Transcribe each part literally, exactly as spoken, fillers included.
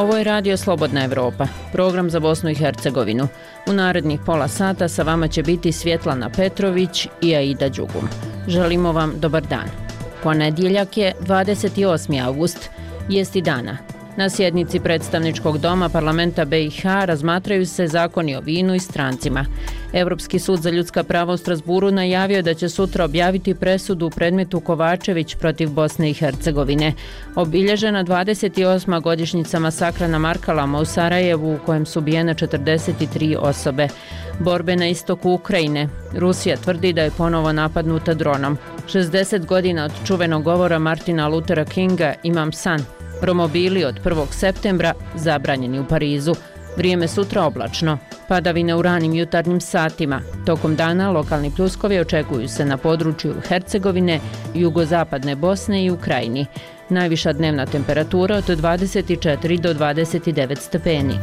Ovo je Radio Slobodna Evropa, program za Bosnu i Hercegovinu. U narednih pola sata sa vama će biti Svjetlana Petrović i Aida Đugum. Želimo vam dobar dan. Ponedjeljak je dvadeset osmi avgust, jesti dana. Na sjednici predstavničkog doma parlamenta B i H razmatraju se zakoni o vinu i strancima. Evropski sud za ljudska prava u Strasburu najavio da će sutra objaviti presudu u predmetu Kovačević protiv Bosne i Hercegovine. Obilježena dvadeset osma godišnjica masakra na Markalama u Sarajevu u kojem su ubijene četrdeset tri osobe. Borbe na istoku Ukrajine. Rusija tvrdi da je ponovo napadnuta dronom. šezdeset godina od čuvenog govora Martina Luthera Kinga Imam san. Romobili od prvog septembra zabranjeni u Parizu. Vrijeme sutra oblačno. Padavine u ranim jutarnjim satima. Tokom dana lokalni pljuskovi očekuju se na području Hercegovine, jugozapadne Bosne i Ukrajini. Najviša dnevna temperatura od dvadeset četiri do dvadeset devet stepeni.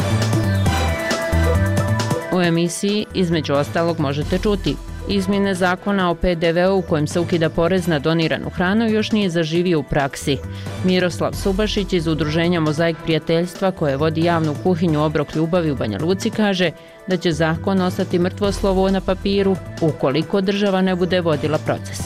U emisiji između ostalog možete čuti: izmjene zakona o P D V-u u kojem se ukida porez na doniranu hranu još nije zaživio u praksi. Miroslav Subašić iz udruženja Mozaik prijateljstva koje vodi javnu kuhinju Obrok ljubavi u Banja Luci kaže da će zakon ostati mrtvo slovo na papiru ukoliko država ne bude vodila proces.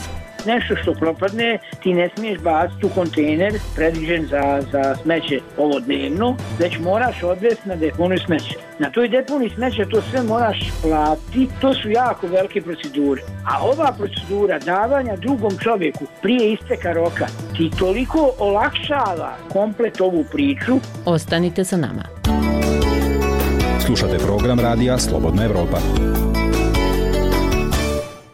Nešto što propadne ti ne smiješ baciti u kontejner predviđen za, za smeće ovo dnevno, već moraš odvesti na deponiju smeće. Na toj deponiji smeće to sve moraš platiti, to su jako velike procedure. A ova procedura davanja drugom čovjeku prije isteka roka ti toliko olakšava komplet ovu priču. Ostanite sa nama. Slušate program Radija Slobodna Evropa.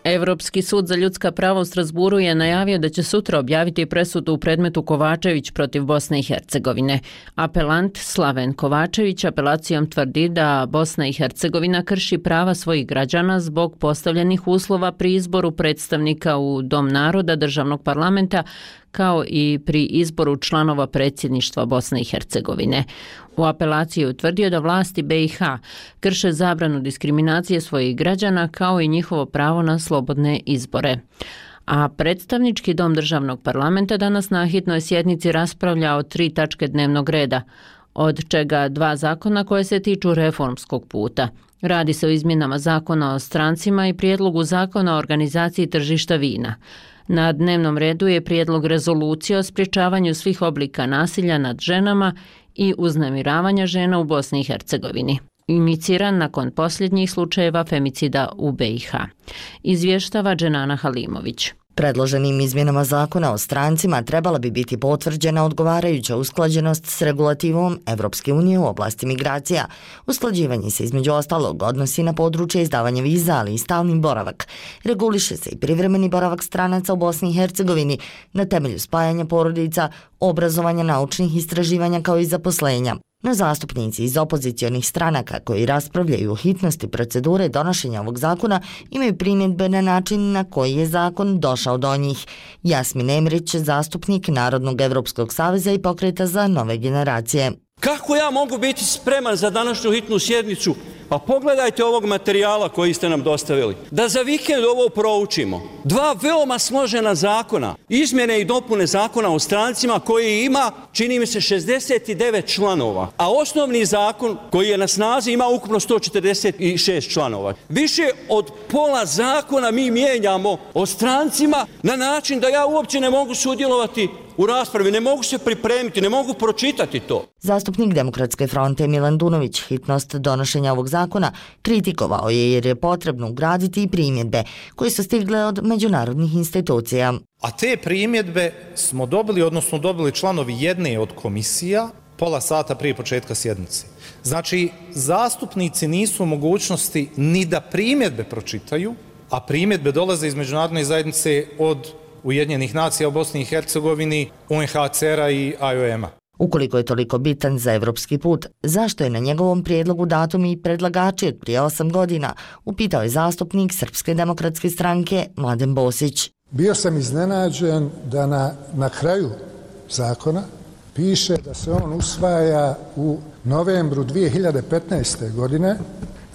Evropski sud za ljudska prava u Strasburu je najavio da će sutra objaviti presudu u predmetu Kovačević protiv Bosne i Hercegovine. Apelant Slaven Kovačević apelacijom tvrdi da Bosna i Hercegovina krši prava svojih građana zbog postavljenih uslova pri izboru predstavnika u Dom naroda državnog parlamenta, kao i pri izboru članova predsjedništva Bosne i Hercegovine. U apelaciji je utvrdio da vlasti B i H krše zabranu diskriminacije svojih građana kao i njihovo pravo na slobodne izbore. A predstavnički dom državnog parlamenta danas na hitnoj sjednici raspravlja o tri tačke dnevnog reda, od čega dva zakona koje se tiču reformskog puta. Radi se o izmjenama zakona o strancima i prijedlogu zakona o organizaciji tržišta vina. Na dnevnom redu je prijedlog rezolucije o sprječavanju svih oblika nasilja nad ženama i uznemiravanja žena u Bosni i Hercegovini, iniciran nakon posljednjih slučajeva femicida u B i H. Izvještava Dženana Halimović. Predloženim izmjenama zakona o strancima trebala bi biti potvrđena odgovarajuća usklađenost s regulativom Evropske unije u oblasti migracija. Usklađivanje se između ostalog odnosi na područje izdavanja viza, ali i stalni boravak. Reguliše se i privremeni boravak stranaca u Bosni i Hercegovini na temelju spajanja porodica, obrazovanja, naučnih istraživanja kao i zaposlenja. No zastupnici iz opozicionih stranaka koji raspravljaju o hitnosti procedure donošenja ovog zakona imaju primjedbe na način na koji je zakon došao do njih. Jasmin Emrić, zastupnik Narodnog Evropskog saveza i Pokreta za nove generacije. Kako ja mogu biti spreman za današnju hitnu sjednicu? Pa pogledajte ovog materijala koji ste nam dostavili. Da za vikend ovo proučimo. Dva veoma složena zakona. Izmjene i dopune zakona o strancima koji ima, čini mi se, šezdeset devet članova. A osnovni zakon koji je na snazi ima ukupno sto četrdeset šest članova. Više od pola zakona mi mijenjamo o strancima na način da ja uopće ne mogu sudjelovati u raspravi, ne mogu se pripremiti, ne mogu pročitati to. Zastupnik Demokratske fronte Milan Dunović hitnost donošenja ovog zakona kritikovao je jer je potrebno ugraditi i primjedbe koje su stigle od međunarodnih institucija. A te primjedbe smo dobili, odnosno dobili članovi jedne od komisija pola sata prije početka sjednice. Znači, zastupnici nisu u mogućnosti ni da primjedbe pročitaju, a primjedbe dolaze iz međunarodne zajednice od Ujedinjenih nacija u Bosni i Hercegovini, U N H C R-a i I O M-a. Ukoliko je toliko bitan za evropski put, zašto je na njegovom prijedlogu datum i predlagači od prije osam godina, upitao je zastupnik Srpske demokratske stranke Mladen Bosić. Bio sam iznenađen da na, na kraju zakona piše da se on usvaja u novembru dvije hiljade petnaeste. godine,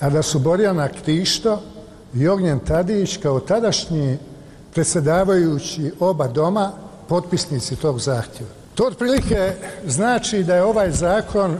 a da su Borjana Krišto i Ognjen Tadić kao tadašnji predsjedavajući oba doma potpisnici tog zahtjeva. To otprilike znači da je ovaj zakon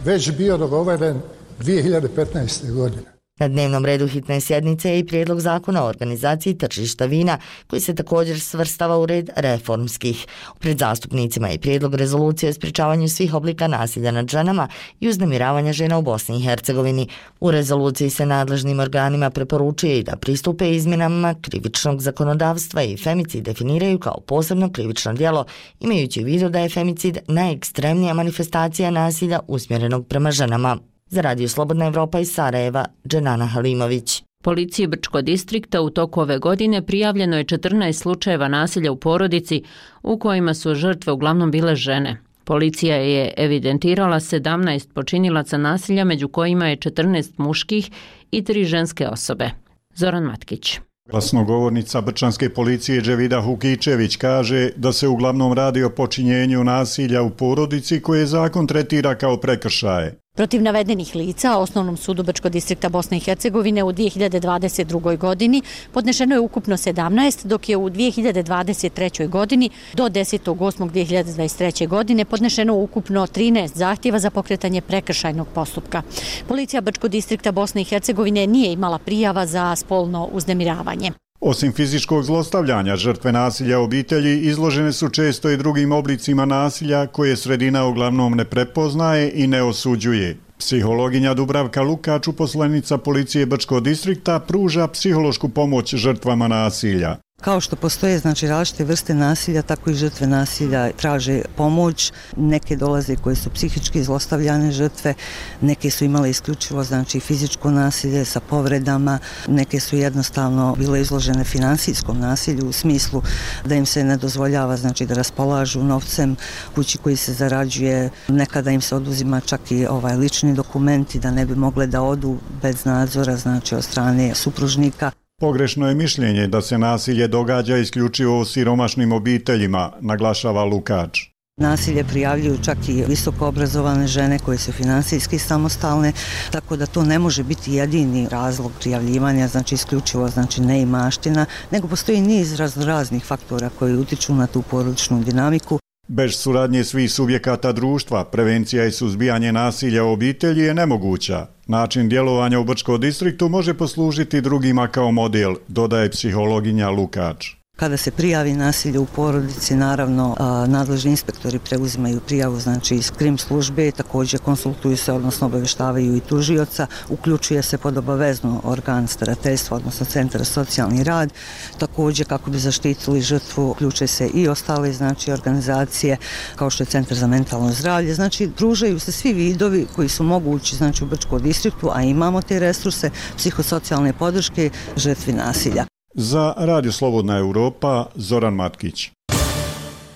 već bio dogovoren dvije hiljade petnaeste. godine. Na dnevnom redu hitne sjednice je i prijedlog zakona o organizaciji tržišta vina, koji se također svrstava u red reformskih. Pred zastupnicima je prijedlog rezolucije o sprječavanju svih oblika nasilja nad ženama i uznemiravanja žena u Bosni i Hercegovini. U rezoluciji se nadležnim organima preporučuje i da pristupe izmjenama krivičnog zakonodavstva i femicid definiraju kao posebno krivično djelo, imajući u vidu da je femicid najekstremnija manifestacija nasilja usmjerenog prema ženama. Za Radio Slobodna Evropa iz Sarajeva, Dženana Halimović. Policiji Brčkog distrikta u toku ove godine prijavljeno je četrnaest slučajeva nasilja u porodici u kojima su žrtve uglavnom bile žene. Policija je evidentirala sedamnaest počinilaca nasilja, među kojima je četrnaest muških i tri ženske osobe. Zoran Matkić. Glasnogovornica brčanske policije Dževida Hukičević kaže da se uglavnom radi o počinjenju nasilja u porodici koje zakon tretira kao prekršaje. Protiv navedenih lica, Osnovnom sudu Brčkog distrikta Bosne i Hercegovine u dvije hiljade dvadeset drugoj. godini podnešeno je ukupno sedamnaest, dok je u dvije hiljade dvadeset trećoj. godini do desetog osmog dvije hiljade dvadeset treće. godine podnešeno ukupno trinaest zahtjeva za pokretanje prekršajnog postupka. Policija Brčkog distrikta Bosne i Hercegovine nije imala prijava za spolno uznemiravanje. Osim fizičkog zlostavljanja, žrtve nasilja u obitelji izložene su često i drugim oblicima nasilja koje sredina uglavnom ne prepoznaje i ne osuđuje. Psihologinja Dubravka Lukač, uposlenica policije Brčkog distrikta, pruža psihološku pomoć žrtvama nasilja. Kao što postoje znači različite vrste nasilja, tako i žrtve nasilja traže pomoć. Neke dolaze koje su psihički zlostavljane žrtve, neke su imale isključivo znači fizičko nasilje sa povredama, neke su jednostavno bile izložene finansijskom nasilju u smislu da im se ne dozvoljava znači da raspolažu novcem kući koji se zarađuje, nekada im se oduzima čak i ovaj lični dokumenti da ne bi mogle da odu bez nadzora znači od strane supružnika. Pogrešno je mišljenje da se nasilje događa isključivo u siromašnim obiteljima, naglašava Lukač. Nasilje prijavljuju čak i visoko obrazovane žene koje su finansijski samostalne, tako da to ne može biti jedini razlog prijavljivanja, znači isključivo znači neimaština, nego postoji niz raznih faktora koji utiču na tu porodičnu dinamiku. Bez suradnje svih subjekata društva, prevencija i suzbijanje nasilja u obitelji je nemoguća. Način djelovanja u Brčkom distriktu može poslužiti drugima kao model, dodaje psihologinja Lukač. Kada se prijavi nasilje u porodici, naravno nadležni inspektori preuzimaju prijavu znači iz krim službe, također konsultuju se, odnosno obaveštavaju i tužioca, uključuje se pod obavezno organ starateljstva, odnosno centar za socijalni rad, također kako bi zaštitili žrtvu, uključuje se i ostale znači organizacije kao što je centar za mentalno zdravlje, znači pružaju se svi vidovi koji su mogući znači u Brčkom distriktu, a imamo te resurse psihosocijalne podrške žrtvi nasilja. Za Radio Slobodna Evropa, Zoran Matkić.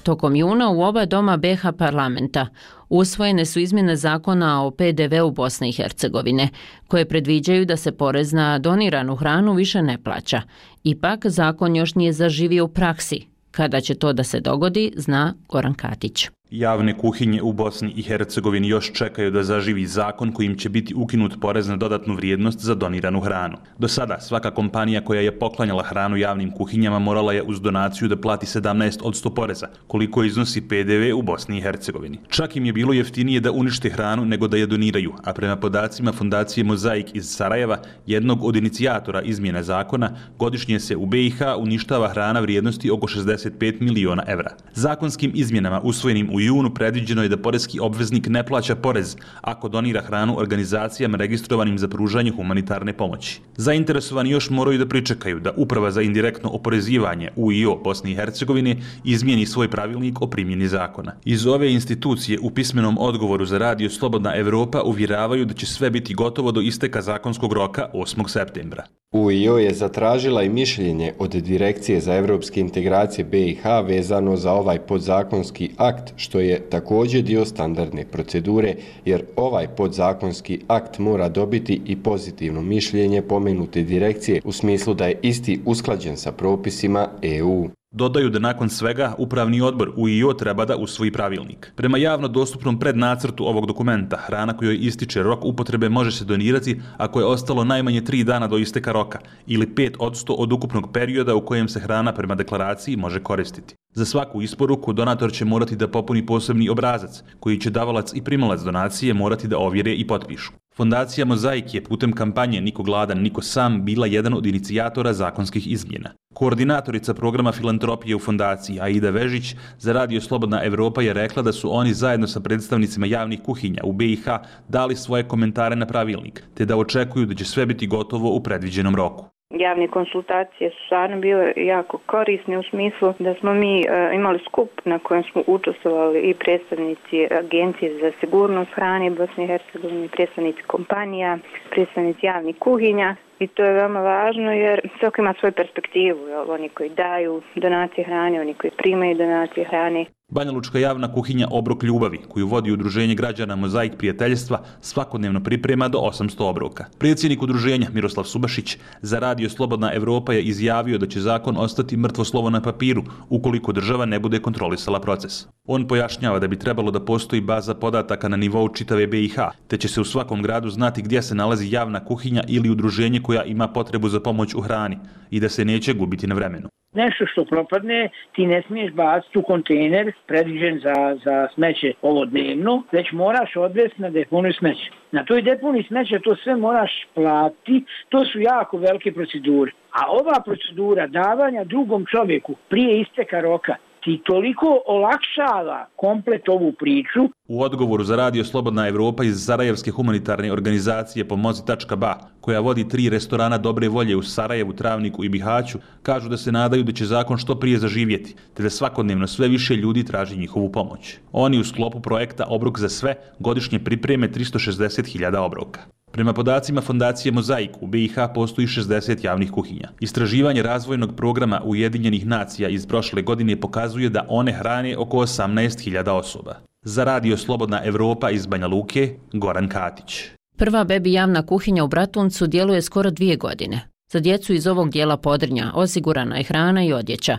Tokom juna u oba doma be ha parlamenta usvojene su izmjene zakona o pe de veu Bosne i Hercegovine, koje predviđaju da se porez na doniranu hranu više ne plaća. Ipak, zakon još nije zaživio u praksi. Kada će to da se dogodi, zna Goran Katić. Javne kuhinje u Bosni i Hercegovini još čekaju da zaživi zakon kojim će biti ukinut porez na dodatnu vrijednost za doniranu hranu. Do sada svaka kompanija koja je poklanjala hranu javnim kuhinjama morala je uz donaciju da plati sedamnaest posto poreza, koliko iznosi pe de ve u Bosni i Hercegovini. Čak im je bilo jeftinije da unište hranu nego da je doniraju, a prema podacima Fondacije Mozaik iz Sarajeva, jednog od inicijatora izmjene zakona, godišnje se u be i ha uništava hrana vrijednosti oko šezdeset pet miliona evra. Zakonskim izmjenama usvojenim u U junu predviđeno je da poreski obveznik ne plaća porez ako donira hranu organizacijama registrovanim za pružanje humanitarne pomoći. Zainteresovani još moraju da pričekaju da Uprava za indirektno oporezivanje U I O Bosne i Hercegovine izmijeni svoj pravilnik o primjeni zakona. Iz ove institucije u pismenom odgovoru za Radio Slobodna Evropa uvjeravaju da će sve biti gotovo do isteka zakonskog roka osmog septembra. U I O je zatražila i mišljenje od Direkcije za evropske integracije be i ha vezano za ovaj podzakonski akt, što je također dio standardne procedure, jer ovaj podzakonski akt mora dobiti i pozitivno mišljenje pomenute direkcije u smislu da je isti usklađen sa propisima E U. Dodaju da nakon svega Upravni odbor U I O treba da usvoji pravilnik. Prema javno dostupnom prednacrtu ovog dokumenta, hrana kojoj ističe rok upotrebe može se donirati ako je ostalo najmanje tri dana do isteka roka ili pet posto od ukupnog perioda u kojem se hrana prema deklaraciji može koristiti. Za svaku isporuku donator će morati da popuni posebni obrazac, koji će davalac i primalac donacije morati da ovjere i potpišu. Fondacija Mozaik je putem kampanje Niko gladan, niko sam bila jedan od inicijatora zakonskih izmjena. Koordinatorica programa filantropije u fondaciji Aida Vežić za Radio Slobodna Evropa je rekla da su oni zajedno sa predstavnicima javnih kuhinja u B i H dali svoje komentare na pravilnik, te da očekuju da će sve biti gotovo u predviđenom roku. Javne konsultacije su stvarno bile jako korisne u smislu da smo mi e, imali skup na kojem smo učestvovali i predstavnici Agencije za sigurnost hrane Bosne i Hercegovine, predstavnici kompanija, predstavnici javnih kuhinja. I to je veoma važno jer svako ima svoju perspektivu, jel? Oni koji daju donacije hrane, oni koji primaju donacije hrane. Banjalučka javna kuhinja Obrok ljubavi, koju vodi Udruženje građana Mozaik prijateljstva, svakodnevno priprema do osamsto obroka. Predsjednik udruženja Miroslav Subašić za Radio Slobodna Evropa je izjavio da će zakon ostati mrtvo slovo na papiru ukoliko država ne bude kontrolisala proces. On pojašnjava da bi trebalo da postoji baza podataka na nivou čitave B i H, te će se u svakom gradu znati gdje se nalazi javna kuhinja ili udruženje koja ima potrebu za pomoć u hrani i da se neće gubiti na vremenu. Nešto što propadne ti ne smiješ baciti u kontejner predviđen za, za smeće ovo dnevno, već moraš odvesti na deponiju smeća. Na toj deponiji smeća to sve moraš platiti, to su jako velike procedure. A ova procedura davanja drugom čovjeku prije isteka roka ti toliko olakšava komplet ovu priču. U odgovoru za Radio Slobodna Evropa iz Sarajevske humanitarne organizacije Pomozi tačka ba, koja vodi tri restorana dobre volje u Sarajevu, Travniku i Bihaću, kažu da se nadaju da će zakon što prije zaživjeti, te da svakodnevno sve više ljudi traži njihovu pomoć. Oni u sklopu projekta Obrok za sve godišnje pripreme tristo šezdeset hiljada obroka. Prema podacima Fondacije Mozaik, u B i H postoji šezdeset javnih kuhinja. Istraživanje razvojnog programa Ujedinjenih nacija iz prošle godine pokazuje da one hrane oko osamnaest hiljada osoba. Za Radio Slobodna Evropa iz Banja Luke, Goran Katić. Prva bebi javna kuhinja u Bratuncu djeluje skoro dvije godine. Za djecu iz ovog dijela Podrinja osigurana je hrana i odjeća.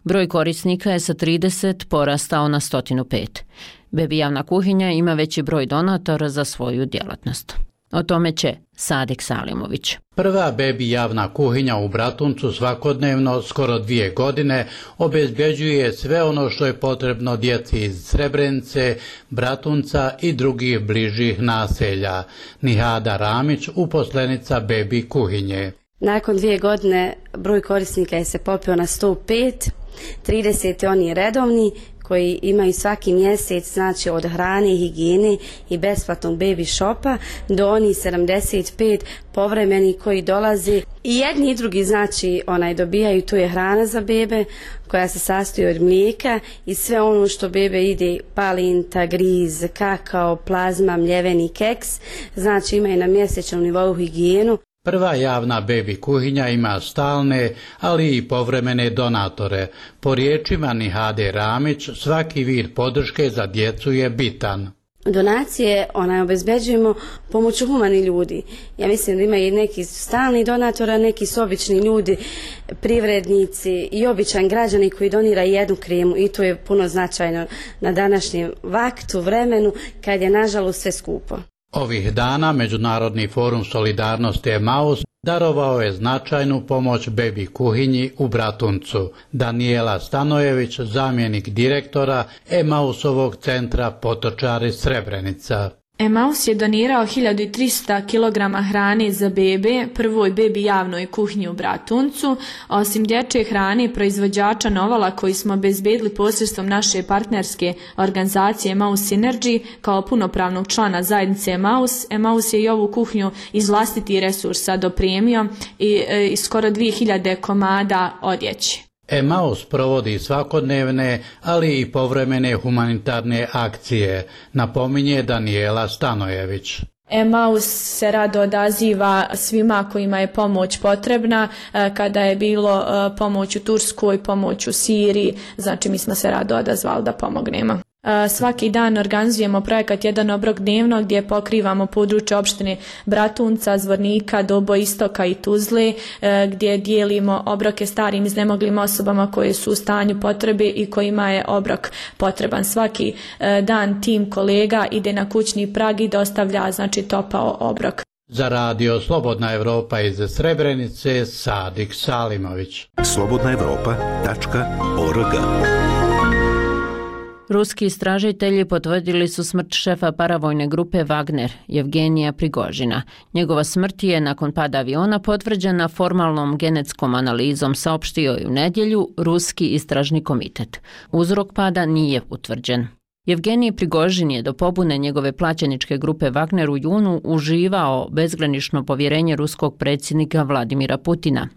Broj korisnika je sa trideset porastao na sto pet. Bebi javna kuhinja ima veći broj donatora za svoju djelatnost. O tome će Sadek Salimović. Prva bebi javna kuhinja u Bratuncu svakodnevno, skoro dvije godine, obezbeđuje sve ono što je potrebno djeci iz Srebrenice, Bratunca i drugih bližih naselja. Nihada Ramić, uposlenica bebi kuhinje. Nakon dvije godine broj korisnika je se popio na sto pet, trideset je oni redovni, koji imaju svaki mjesec, znači od hrane, higijene i besplatnog baby shopa, do oni sedamdeset pet povremeni koji dolaze. I jedni i drugi, znači, onaj dobijaju, tu je hrana za bebe, koja se sastoji od mlijeka i sve ono što bebe ide, palinta, griz, kakao, plazma, mljeveni keks, znači imaju na mjesečnom nivou higijenu. Prva javna bebi kuhinja ima stalne, ali i povremene donatore. Po riječima Nihade Ramić, svaki vid podrške za djecu je bitan. Donacije onaj obezbeđujemo pomoću humani ljudi. Ja mislim da ima i neki stalni donatora, neki su obični ljudi, privrednici i običan građani koji donira jednu kremu i to je puno značajno na današnjem vaktu, vremenu, kad je nažalost sve skupo. Ovih dana Međunarodni forum solidarnosti Emaus darovao je značajnu pomoć bebi kuhinji u Bratuncu. Danijela Stanojević, zamjenik direktora Emausovog centra Potočari Srebrenica. Emaus je donirao hiljadu trista kilograma hrane za bebe prvoj bebi javnoj kuhinji u Bratuncu. Osim dječje hrane proizvođača Novala koji smo obezbedili posredstvom naše partnerske organizacije Emaus Synergy kao punopravnog člana zajednice Emaus, Emaus je i ovu kuhinju iz vlastitih resursa dopremio i, i skoro dvije hiljade komada odjeće. Emaus provodi svakodnevne, ali i povremene humanitarne akcije, napominje Danijela Stanojević. Emaus se rado odaziva svima kojima je pomoć potrebna, kada je bilo pomoć u Turskoj, pomoć u Siriji, znači mi smo se rado odazvali da pomognemo. Svaki dan organizujemo projekat Jedan obrok dnevno gdje pokrivamo područje opštine Bratunca, Zvornika, Dobo, Istoka i Tuzle, gdje dijelimo obroke starim iznemoglim osobama koje su u stanju potrebe i kojima je obrok potreban. Svaki dan tim kolega ide na kućni prag i dostavlja, znači, topao obrok. Za radio Slobodna Evropa iz Srebrenice, Sadik Salimović. slobodna evropa tačka org. Ruski istražitelji potvrdili su smrt šefa paravojne grupe Wagner, Jevgenija Prigožina. Njegova smrt je nakon pada aviona potvrđena formalnom genetskom analizom, saopštio je u nedjelju Ruski istražni komitet. Uzrok pada nije utvrđen. Jevgenij Prigožin je do pobune njegove plaćeničke grupe Wagner u junu uživao bezgranično povjerenje ruskog predsjednika Vladimira Putina.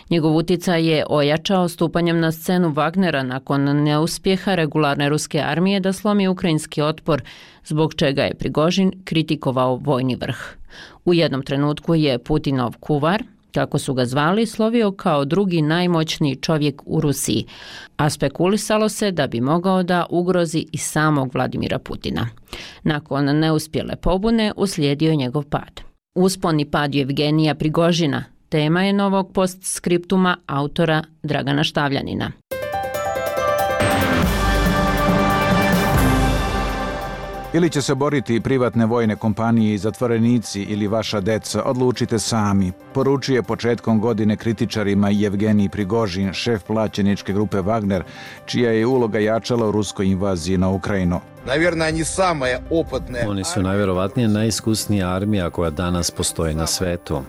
Njegov utjecaj je ojačao stupanjem na scenu Wagnera nakon neuspjeha regularne ruske armije da slomi ukrajinski otpor, zbog čega je Prigožin kritikovao vojni vrh. U jednom trenutku je Putinov kuvar, kako su ga zvali, slovio kao drugi najmoćniji čovjek u Rusiji, a spekulisalo se da bi mogao da ugrozi i samog Vladimira Putina. Nakon neuspjele pobune uslijedio je njegov pad. Uspon i pad Jevgenija Prigožina tema je novog postskriptuma autora Dragana Štavljanina. Ili će se boriti privatne vojne kompanije i zatvorenici ili vaša deca, odlučite sami, poručuje početkom godine kritičarima Jevgenij Prigožin, šef plaćeničke grupe Wagner, čija je uloga jačala u ruskoj invaziji na Ukrajinu. Oni su najvjerovatnije najiskusnija armija koja danas postoji na svetu.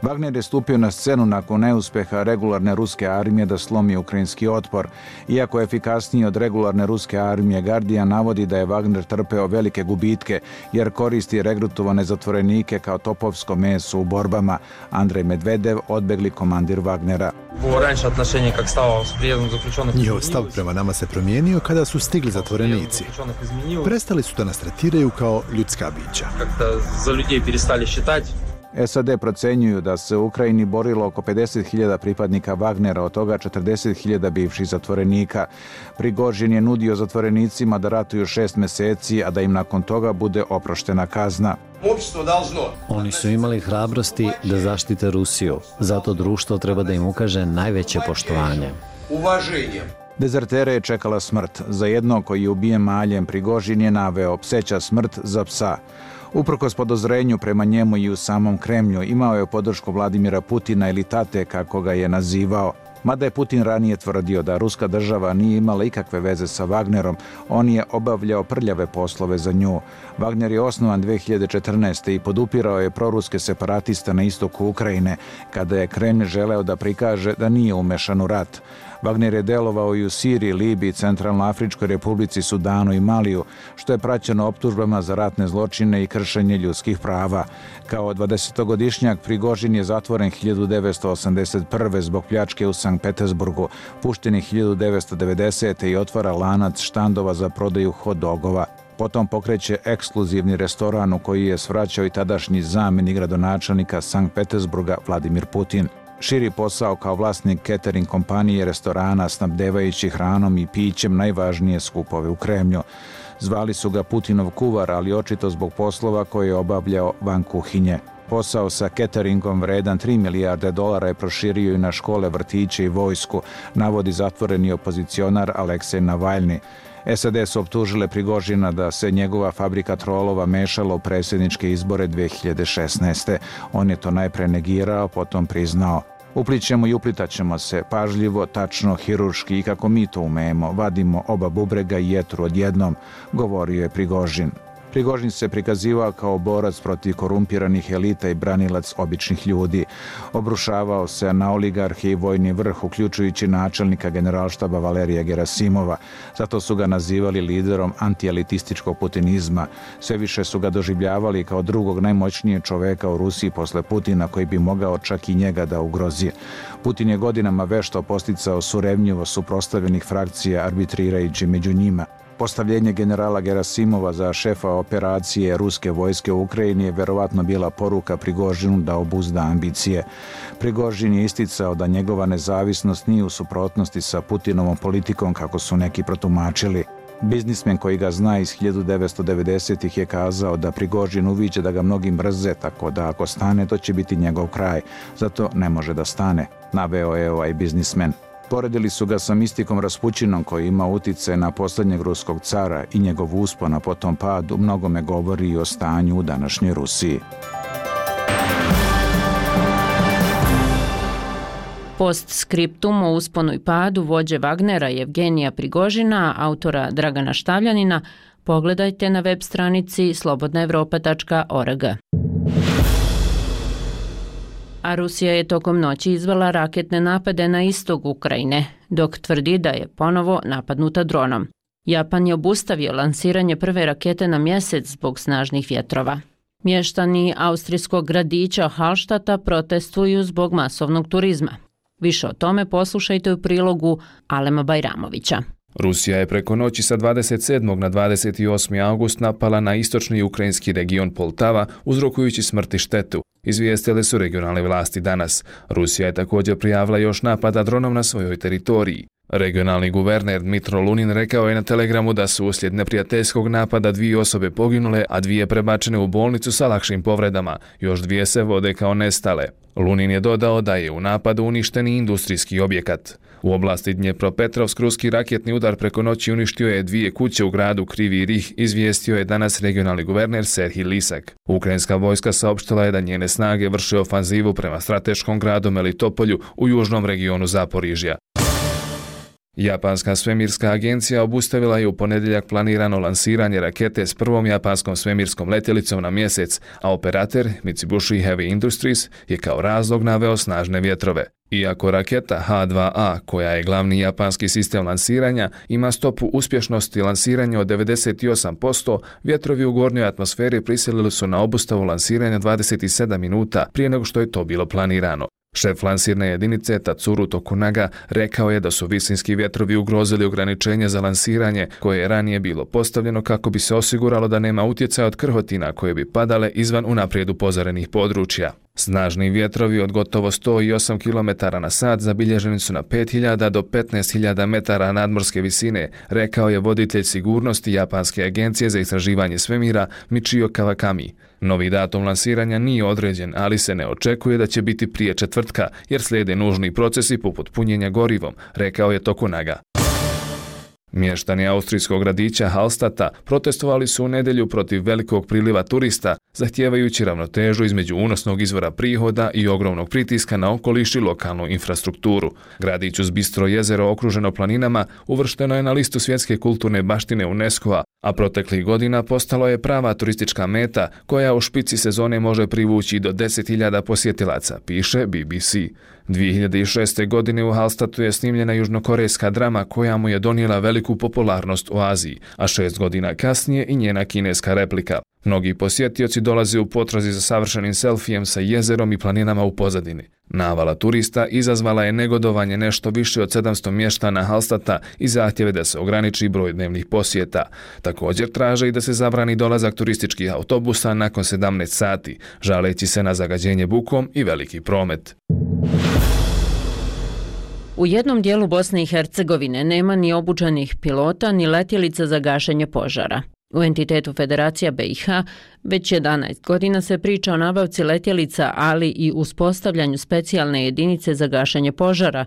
Wagner je stupio na scenu nakon neuspeha regularne ruske armije da slomi ukrajinski otpor. Iako je efikasniji od regularne ruske armije, Guardian navodi da je Wagner trpeo velike gubitke jer koristi regrutovane zatvorenike kao topovsko meso u borbama. Andrej Medvedev, odbegli komandir Wagnera. Njihov stav prema nama se promijenio kada su stigli zatvorenici. Prestali su da nas tretiraju kao ljudska bića. S A D procenjuju da se u Ukrajini borilo oko pedeset hiljada pripadnika Wagnera, od toga četrdeset hiljada bivših zatvorenika. Prigožin je nudio zatvorenicima da ratuju šest mjeseci, a da im nakon toga bude oproštena kazna. Oni su imali hrabrosti da zaštite Rusiju, zato društvo treba da im ukaže najveće poštovanje. Dezertere je čekala smrt. Za jednog koji je ubijen maljem, Prigožin je naveo pseća smrt za psa. Uprkos podozrenju prema njemu i u samom Kremlju, imao je podršku Vladimira Putina ili tate, kako ga je nazivao. Mada je Putin ranije tvrdio da ruska država nije imala ikakve veze sa Wagnerom, on je obavljao prljave poslove za nju. Wagner je osnovan dve hiljade četrnaeste. i podupirao je proruske separatiste na istoku Ukrajine, kada je Kremlj želeo da prikaže da nije umešan u rat. Wagner je delovao i u Siriji, Libiji, Centralnoafričkoj republici, Sudanu i Maliju, što je praćeno optužbama za ratne zločine i kršenje ljudskih prava. Kao dvadesetogodišnjak Prigožin je zatvoren hiljadu devetsto osamdeset prve. zbog pljačke u Sankt Petersburgu, pušten je hiljadu devetsto devedesete. i otvara lanac štandova za prodaju hot-dogova. Potom pokreće ekskluzivni restoran u koji je svraćao i tadašnji zamjenik gradonačelnika Sankt Petersburga Vladimir Putin. Širi posao kao vlasnik catering kompanije restorana, snabdevajući hranom i pićem najvažnije skupove u Kremlju. Zvali su ga Putinov kuvar, ali očito zbog poslova koje je obavljao van kuhinje. Posao sa cateringom vredan tri milijarde dolara je proširio i na škole, vrtiće i vojsku, navodi zatvoreni opozicionar Aleksej Navalni. S A D su optužile Prigožina da se njegova fabrika trolova mešala u predsjedničke izbore dve hiljade šesnaeste. On je to najpre negirao, potom priznao. Uplićemo i uplitaćemo se, pažljivo, tačno, hirurški i kako mi to umemo, vadimo oba bubrega i jetru odjednom, govorio je Prigožin. Prigožin se prikazivao kao borac protiv korumpiranih elita i branilac običnih ljudi. Obrušavao se na oligarhe i vojni vrh, uključujući načelnika generalštaba Valerija Gerasimova. Zato su ga nazivali liderom antielitističkog putinizma. Sve više su ga doživljavali kao drugog najmoćnijeg čoveka u Rusiji posle Putina, koji bi mogao čak i njega da ugrozi. Putin je godinama vešto posticao surevnjivo suprotstavljenih frakcija, arbitrirajući među njima. Postavljenje generala Gerasimova za šefa operacije ruske vojske u Ukrajini je verovatno bila poruka Prigožinu da obuzda ambicije. Prigožin je isticao da njegova nezavisnost nije u suprotnosti sa Putinovom politikom, kako su neki protumačili. Biznismen koji ga zna iz hiljadu devetsto devedesetih. je kazao da Prigožin uviđa da ga mnogi mrze, tako da ako stane, to će biti njegov kraj. Zato ne može da stane, naveo je ovaj biznismen. Poredili su ga sa mistikom Raspućinom koji ima utice na posljednjeg ruskog cara i njegov uspon, a potom pad u mnogome govori i o stanju u današnjoj Rusiji. Postskriptum o usponu i padu vođe Wagnera Jevgenija Prigožina, autora Dragana Štavljanina, pogledajte na web stranici slobodna evropa tačka org. A Rusija je tokom noći izvela raketne napade na istok Ukrajine, dok tvrdi da je ponovo napadnuta dronom. Japan je obustavio lansiranje prve rakete na mjesec zbog snažnih vjetrova. Mještani austrijskog gradića Hallstata protestuju zbog masovnog turizma. Više o tome poslušajte u prilogu Alema Bajramovića. Rusija je preko noći sa dvadeset sedmog na dvadeset osmi august napala na istočni ukrajinski region Poltava, uzrokujući smrt i štetu, izvijestile su regionalne vlasti danas. Rusija je također prijavila još napada dronom na svojoj teritoriji. Regionalni guverner Dmitro Lunin rekao je na telegramu da su uslijed neprijateljskog napada dvije osobe poginule, a dvije prebačene u bolnicu sa lakšim povredama. Još dvije se vode kao nestale. Lunin je dodao da je u napadu uništen i industrijski objekat. U oblasti Dnjepropetrovsk ruski raketni udar preko noći uništio je dvije kuće u gradu Krivi Rih, izvijestio je danas regionalni guverner Serhij Lisak. Ukrajinska vojska saopštila je da njene snage vrše ofanzivu prema strateškom gradu Melitopolju u južnom regionu Zaporižja. Japanska svemirska agencija obustavila je u ponedjeljak planirano lansiranje rakete s prvom japanskom svemirskom letjelicom na mjesec, a operater Mitsubishi Heavy Industries je kao razlog naveo snažne vjetrove. Iako raketa ha dva a, koja je glavni japanski sistem lansiranja, ima stopu uspješnosti lansiranja od devedeset osam posto, vjetrovi u gornjoj atmosferi prisilili su na obustavu lansiranja dvadeset sedam minuta prije nego što je to bilo planirano. Šef lansirne jedinice Tatsuru Tokunaga rekao je da su visinski vjetrovi ugrozili ograničenje za lansiranje koje je ranije bilo postavljeno kako bi se osiguralo da nema utjecaja od krhotina koje bi padale izvan unaprijed upozorenih područja. Snažni vjetrovi od gotovo sto osam kilometara na sat zabilježeni su na pet hiljada do petnaest hiljada metara nadmorske visine, rekao je voditelj sigurnosti Japanske agencije za istraživanje svemira Michio Kawakami. Novi datum lansiranja nije određen, ali se ne očekuje da će biti prije četvrtka, jer slijede nužni procesi poput punjenja gorivom, rekao je Tokunaga. Mještani austrijskog gradića Hallstata protestovali su u nedjelju protiv velikog priliva turista, zahtijevajući ravnotežu između unosnog izvora prihoda i ogromnog pritiska na okoliš i lokalnu infrastrukturu. Gradić uz bistro jezero okruženo planinama uvršteno je na listu svjetske kulturne baštine UNESCO-a, a proteklih godina postalo je prava turistička meta koja u špici sezone može privući do deset hiljada posjetilaca, piše B B C. dvije hiljade šeste. godine u Hallstatu je snimljena južnokorejska drama koja mu je donijela veliku popularnost u Aziji, a šest godina kasnije i njena kineska replika. Mnogi posjetioci dolaze u potrazi za savršenim selfijem sa jezerom i planinama u pozadini. Navala turista izazvala je negodovanje nešto više od sedamsto mještana Hallstata i zahtjeve da se ograniči broj dnevnih posjeta. Također traže i da se zabrani dolazak turističkih autobusa nakon sedamnaest sati, žaleći se na zagađenje bukom i veliki promet. U jednom dijelu Bosne i Hercegovine nema ni obučenih pilota ni letjelica za gašenje požara. U entitetu Federacija B i H već jedanaest godina se priča o nabavci letjelica, ali i uspostavljanju specijalne jedinice za gašenje požara.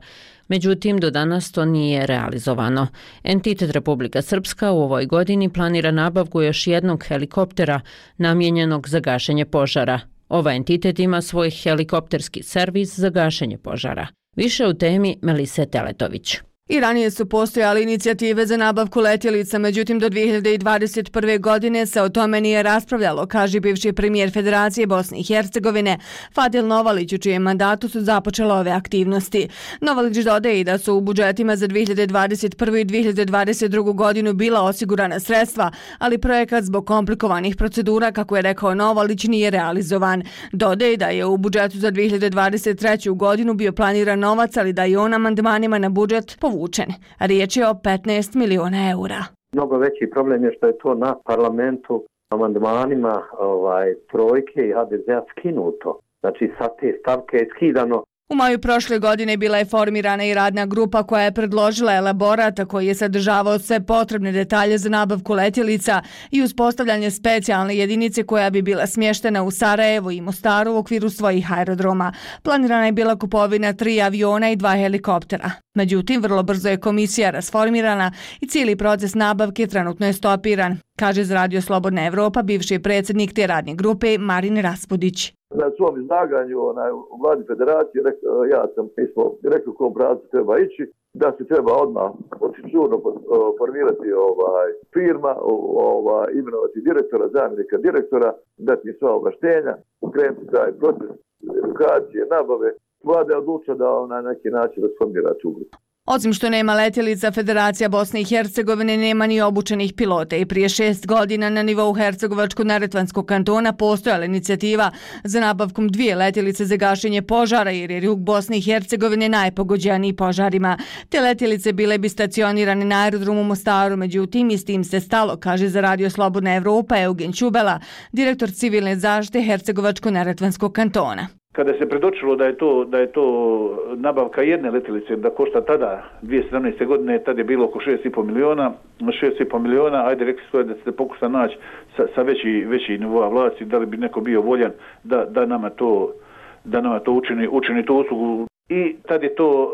Međutim, do danas to nije realizovano. Entitet Republika Srpska u ovoj godini planira nabavku još jednog helikoptera namijenjenog za gašenje požara. Ovaj entitet ima svoj helikopterski servis za gašenje požara. Više u temi Melise Teletović. I ranije su postojale inicijative za nabavku letjelica, međutim do dvije hiljade dvadeset prve. godine se o tome nije raspravljalo, kaže bivši premijer Federacije Bosne i Hercegovine Fadil Novalić, u čijem mandatu su započele ove aktivnosti. Novalić dodaje i da su u budžetima za dvije hiljade dvadeset prvu. i dvije hiljade dvadeset drugu. godinu bila osigurana sredstva, ali projekat zbog komplikovanih procedura, kako je rekao Novalić, nije realizovan. Dodaje da je u budžetu za dvije hiljade dvadeset treću. godinu bio planiran novac, ali da je on amandmanima na budžet povučen. Riječ je o petnaest miliona eura. Mnogo veći problem je što je to na parlamentu amandmanima ovaj, trojke i ha de zea skinuto. Znači sa te stavke je skidano U maju prošle godine bila je formirana i radna grupa koja je predložila elaborat koji je sadržavao sve potrebne detalje za nabavku letjelica i uspostavljanje specijalne jedinice koja bi bila smještena u Sarajevu i Mostaru u okviru svojih aerodroma. Planirana je bila kupovina tri aviona i dva helikoptera. Međutim, vrlo brzo je komisija rasformirana i cijeli proces nabavke trenutno je stopiran, kaže za Radio Slobodna Evropa bivši predsjednik te radne grupe Marin Raspudić. Na svom izlaganju onaj, u vladi federacije rek, ja sam mi smo rekli u kom pravcu treba ići, da se treba odmah žurno formirati ovaj, firma, ovaj, imenovati direktora, zamjenika direktora, dati im sva ovlaštenja, ukrenuti taj proces edukacije, nabave. Vlada je odlučila da na neki način rasformira tu grupu. Osim što nema letjelica, Federacija Bosne i Hercegovine nema ni obučenih pilota i prije šest godina na nivou Hercegovačko-Neretvanskog kantona postojala inicijativa za nabavkom dvije letjelice za gašenje požara jer je jug Bosne i Hercegovine najpogođeniji požarima. Te letjelice bile bi stacionirane na aerodromu Mostaru, međutim i s tim se stalo, kaže za Radio Slobodna Evropa Eugen Čubela, direktor civilne zaštite Hercegovačko-Neretvanskog kantona. Kada se predočilo da je to da je to nabavka jedne letjelice da košta tada dvije tisuće sedamnaeste godine, tada je bilo oko šest i po miliona, šest i po miliona, ajde rekli su da se pokuša naći sa, sa veći veći nivoa vlasti, da li bi neko bio voljan da da nama to da nama to učini učini tu uslugu i tad je to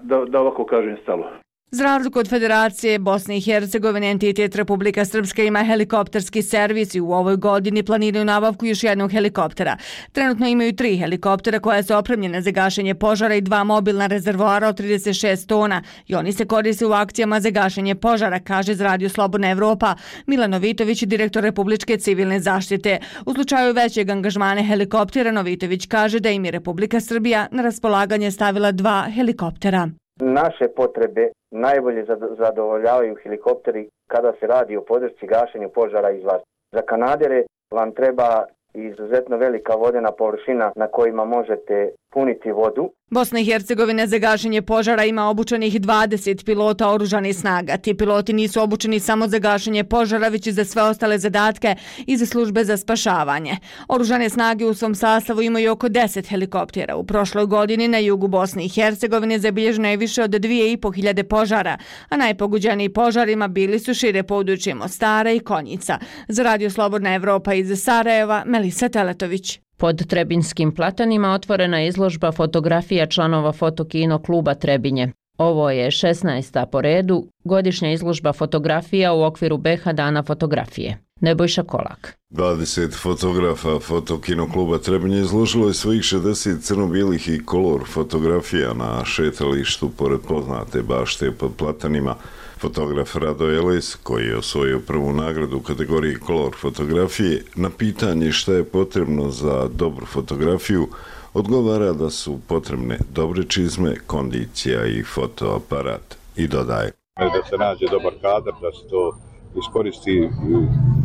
da da ovako kažem stalo. Za razliku od Federacije Bosne i Hercegovine, entitet Republika Srpska ima helikopterski servis i u ovoj godini planiraju nabavku još jednog helikoptera. Trenutno imaju tri helikoptera koja su opremljene za gašenje požara i dva mobilna rezervoara od trideset šest tona i oni se koriste u akcijama za gašenje požara, kaže za Radio Slobodna Evropa Milan Novitović, direktor Republičke civilne zaštite. U slučaju većeg angažmana helikoptera, Novitović kaže da im je Republika Srbija na raspolaganje stavila dva helikoptera. Naše potrebe najbolje zadovoljavaju helikopteri kada se radi o podršci gašenju požara iz vazduha. Za kanadere vam treba izuzetno velika vodena površina na kojima možete puniti vodu. Bosna i Hercegovina za gašenje požara ima obučenih dvadeset pilota oružanih snaga. Ti piloti nisu obučeni samo za gašenje požara, već i za sve ostale zadatke i za službe za spašavanje. Oružane snage u svom sastavu imaju oko deset helikoptera. U prošloj godini na jugu Bosne i Hercegovine zabilježeno je više od dvije i po hiljade požara, a najpogođeniji požarima bili su šire područje Mostara i Konjica. Za Radio Slobodna Evropa iz Sarajeva, Melisa Teletović. Pod Trebinskim platanima otvorena je izložba fotografija članova Fotokino kluba Trebinje. Ovo je šesnaesta po redu godišnja izložba fotografija u okviru B H dana fotografije. Nebojša Kolak. dvadeset fotografa Fotokino kluba Trebinje izložilo je svojih šezdeset crno-bijelih i kolor fotografija na šetalištu pored poznate bašte pod platanima. Fotograf Rado Eles, koji je osvojio prvu nagradu u kategoriji kolor fotografije, na pitanje šta je potrebno za dobru fotografiju, odgovara da su potrebne dobre čizme, kondicija i fotoaparat. I dodaje. Da se nađe dobar kadar, da se to iskoristi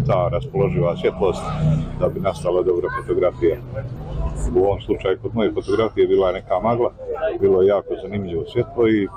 ta raspoloživa svjetlost da bi nastala dobra fotografija. U ovom slučaju kod moje fotografije bila je neka magla, bilo je jako zanimljivo svjetlo i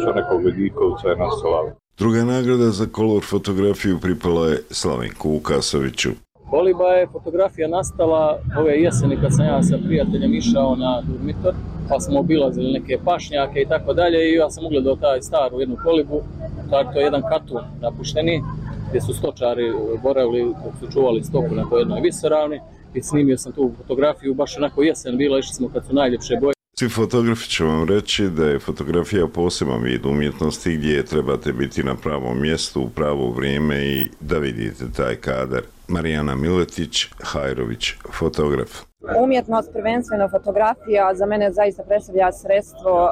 sa nekog Ledikovca je nastala. Druga nagrada za kolor fotografiju pripala je Slavenku Vukasoviću. Koliba je fotografija nastala ove jeseni kad sam ja sa prijateljem išao na Durmitor, pa smo obilazili neke pašnjake i tako dalje i ja sam ugledao taj staru jednu kolibu, to je jedan katun napušteni, gdje su stočari boravili dok su čuvali stoku na toj jednoj visoravni i snimio sam tu fotografiju, baš onako jesen bila, išli smo kad su najljepše boje. Svi fotografi će vam reći da je fotografija poseban vid umjetnosti gdje trebate biti na pravom mjestu u pravo vrijeme i da vidite taj kadar. Marijana Miletić, Hajrović, fotograf. Umjetnost, prvenstveno fotografija, za mene zaista predstavlja sredstvo uh,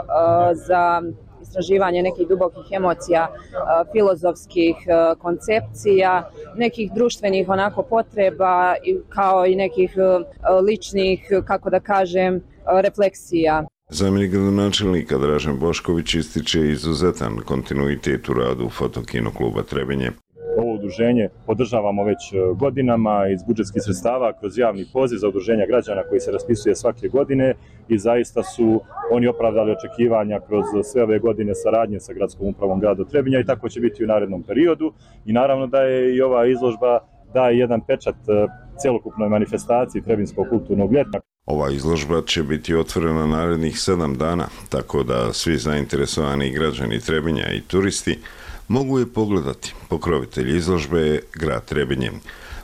za istraživanje nekih dubokih emocija, uh, filozofskih uh, koncepcija, nekih društvenih onako potreba kao i nekih uh, ličnih, kako da kažem, refleksija. Zamjenik gradonačelnika Dražen Bošković ističe izuzetan kontinuitet u radu Fotokino kluba Trebinje. Ovo udruženje podržavamo već godinama iz budžetskih sredstava kroz javni poziv za udruženja građana koji se raspisuje svake godine i zaista su oni opravdali očekivanja kroz sve ove godine saradnje sa gradskom upravom grada Trebinja i tako će biti u narednom periodu. I naravno da je i ova izložba daje jedan pečat celokupnoj manifestaciji Trebinskog kulturnog ljeta. Ova izložba će biti otvorena narednih sedam dana, tako da svi zainteresovani građani Trebinja i turisti mogu je pogledati. Pokrovitelj izložbe je grad Trebinje.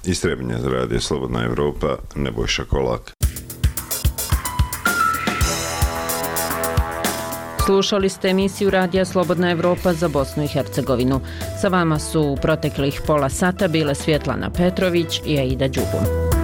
Iz Trebinja za Radio Slobodna Evropa, Nebojša Kolak. Slušali ste emisiju Radija Slobodna Evropa za Bosnu i Hercegovinu. Sa vama su u proteklih pola sata bile Svjetlana Petrović i Aida Đubum.